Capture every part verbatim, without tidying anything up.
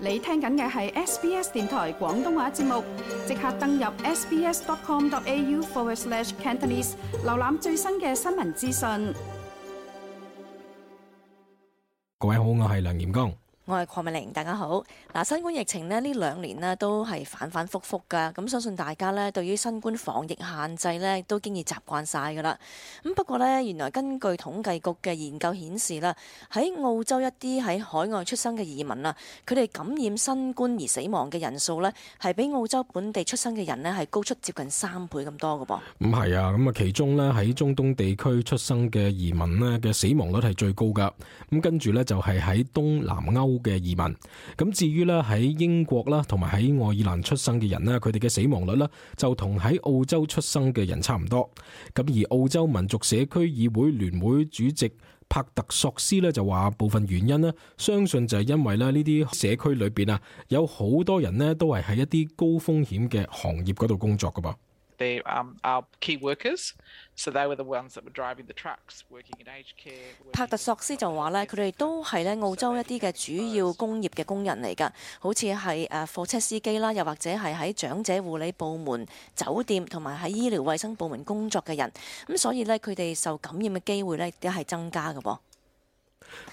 你聽緊嘅係 S B S 電台廣東話節目，即刻登入 sbs.com.au forward slash Cantonese， 瀏覽最新嘅新聞資訊。各位好，我係梁炎剛。我係鄺美玲，大家好。嗱，新冠疫情呢呢兩年呢都係反反覆覆噶，咁相信大家呢對於新冠防疫限制呢都經已習慣晒噶啦。咁不過呢，原來根據統計局嘅研究顯示啦，喺澳洲一啲喺海外出生嘅移民啊，佢哋感染新冠而死亡嘅人數呢，係比澳洲本地出生嘅人呢係高出接近三倍咁多噶噃。唔係啊，咁啊其中呢喺中東地區出生嘅移民呢嘅死亡率係最高噶，咁跟住呢，就係喺東南歐嘅移民，咁至於咧喺英國啦，同埋喺愛爾蘭出生嘅人咧，佢哋嘅死亡率咧就同喺澳洲出生嘅人差唔多。咁而澳洲民族社區議會聯會主席帕特索斯咧就話，部分原因咧，相信就係因為咧呢啲社區裏邊啊，有好多人咧都係喺一啲高風險嘅行業嗰度工作噶噃。They um, are key workers, so they were the ones that were driving the trucks, working in aged care. 帕特索斯就話咧，佢哋都係咧澳洲一啲嘅主要工業嘅工人嚟㗎，好似係誒貨車司機啦，又或者係喺長者護理部門、酒店同埋喺醫療衛生部門工作嘅人，咁所以咧佢哋受感染嘅機會咧都係增加嘅噃。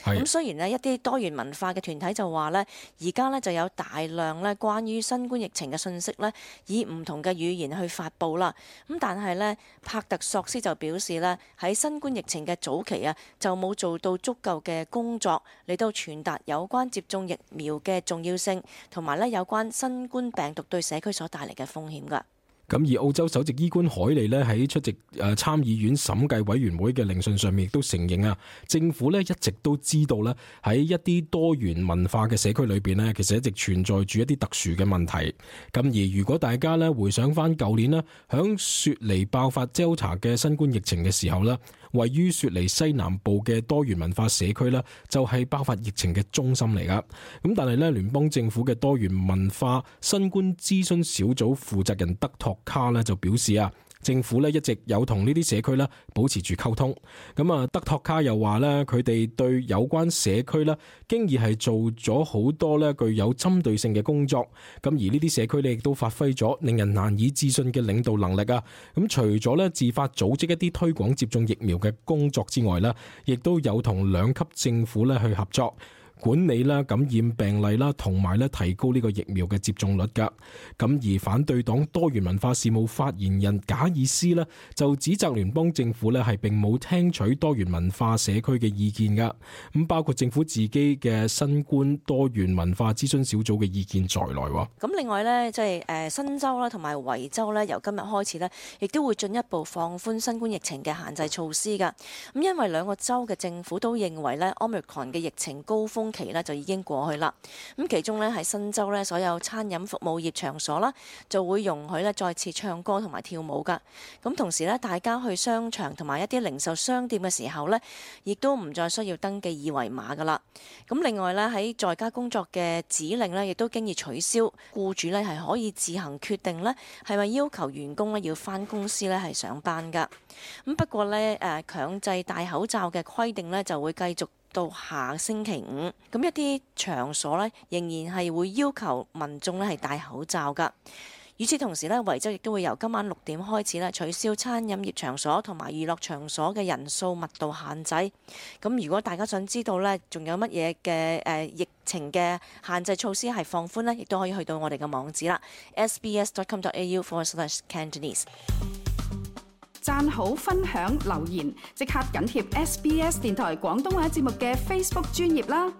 咁雖然呢一啲多元文化嘅團體就話呢，而家呢就有大量呢關於新冠疫情嘅信息呢，以唔同嘅語言去發布啦。咁但係呢，帕特索斯就表示呢，喺新冠疫情嘅早期啊，就冇做到足夠嘅工作嚟到傳達有關接種疫苗嘅重要性，同埋呢有關新冠病毒對社區所帶嚟嘅風險㗎。咁而澳洲首席醫官海利呢喺出席誒參議院審計委員會嘅聆訊上面，亦都承認啊，政府呢一直都知道呢喺一啲多元文化嘅社區裏邊呢，其實一直存在住一啲特殊嘅問題。咁而如果大家呢回想翻舊年呢，響雪梨爆發 Delta 嘅新冠疫情嘅時候呢，位於雪梨西南部嘅多元文化社區呢，就係爆發疫情嘅中心嚟噶。咁但係呢，聯邦政府嘅多元文化新冠諮詢小組負責人德托卡呢就表示啊，政府呢一直有同呢啲社區呢保持住溝通。咁啊，德托卡又話呢，佢哋對有關社區呢經已係做咗好多呢具有針對性嘅工作。咁而呢啲社區呢亦都發揮咗令人難以置信嘅領導能力啊。咁除咗呢自發組織一啲推廣接種疫苗嘅工作之外呢，亦都有同兩級政府呢去合作，管理啦感染病例啦，同埋咧提高呢個疫苗嘅接種率噶。咁而反對黨多元文化事務發言人賈爾斯呢就指責聯邦政府呢係並冇聽取多元文化社區嘅意見噶。咁包括政府自己嘅新冠多元文化諮詢小組嘅意見在內。咁另外呢，即係誒新州啦同埋維州呢，由今日開始呢，亦都會進一步放寬新冠疫情嘅限制措施噶。咁因為兩個州嘅政府都認為呢 Omicron 嘅疫情高峰期咧就已經過去啦。咁其中咧喺新州咧，所有餐飲服務業場所啦，就會容許咧再次唱歌同埋跳舞噶。咁同時咧，大家去商場同埋一啲零售商店嘅時候咧，亦都唔再需要登記二維碼噶啦。咁另外咧喺在家工作嘅指令咧，亦都經已取消，僱主咧係可以自行決定咧係咪要求員工咧要返公司咧係上班噶。咁不過咧誒強制戴口罩嘅規定咧就會繼續到下星期五，咁一啲場所呢，仍然係會要求民眾呢係戴口罩㗎。與此同時呢，維州亦都會由今晚六點開始呢取消餐飲業場所同埋娛樂場所嘅人數密度限制。咁如果大家想知道呢，仲有乜嘢嘅誒疫情嘅限制措施係放寬呢，亦都可以去到我哋嘅網址啦 ，sbs.com.au forward slash Cantonese。讚好、分享、留言，即刻緊貼 S B S 電台廣東話節目嘅 Facebook 專頁啦！